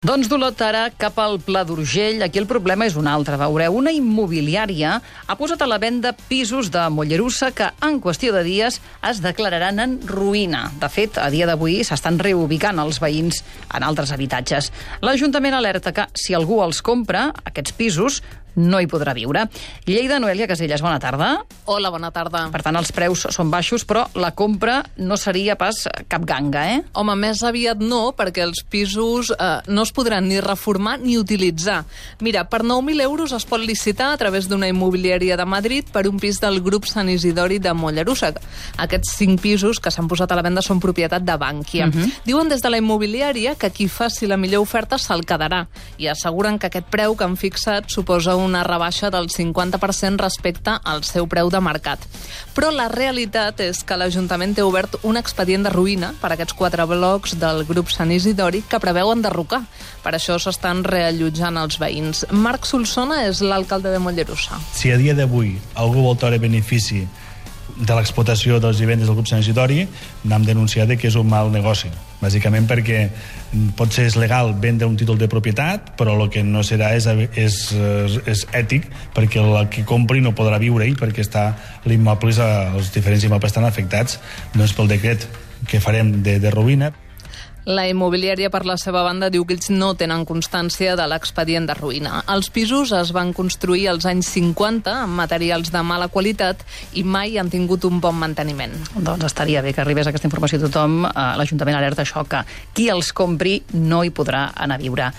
Doncs d'Olot ara cap al Pla d'Urgell. Aquí el problema és un altre. Veureu, una immobiliària ha posat a la venda pisos de Mollerussa que en qüestió de dies es declararan en ruïna. De fet, a dia d'avui s'estan reubicant els veïns en altres habitatges. L'Ajuntament alerta que si algú els compra, aquests pisos no hi podrà viure. Lleida, Noelia Casellas, bona tarda. Hola, bona tarda. Per tant, els preus són baixos, però la compra no seria pas cap ganga, eh? Home, més aviat no, perquè els pisos no es podran ni reformar ni utilitzar. Mira, per 9.000 euros es pot licitar a través d'una immobiliària de Madrid per un pis del grup Sant Isidori de Mollerussa. Aquests 5 pisos que s'han posat a la venda són propietat de Bankia. Diuen des de la immobiliària que qui faci la millor oferta se'l quedarà i asseguren que aquest preu que han fixat suposa una rebaixa del 50% respecte al seu preu de mercat. Però la realitat és que l'Ajuntament té obert un expedient de ruïna per a aquests 4 blocs del grup Sant Isidori que preveu enderrocar. Per això s'estan reallotjant els veïns. Marc Solsona és l'alcalde de Mollerussa. Si a dia d'avui algú vol treure benefici de l'explotació dels vivendes del grup Sant Isidori, n'hem denunciat que és un mal negoci. Bàsicament perquè potser és legal vendre un títol de propietat, però el que no serà és ètic, perquè el que compri no podrà viure-hi perquè està l'immoble, els diferents immobles estan afectats doncs, pel decret que farem de ruïna. La immobiliària, per la seva banda, diu que ells no tenen constància de l'expedient de ruïna. Els pisos es van construir als anys 50 amb materials de mala qualitat i mai han tingut un bon manteniment. Doncs estaria bé que arribés aquesta informació a tothom. L'Ajuntament alerta això, que qui els compri no hi podrà anar a viure.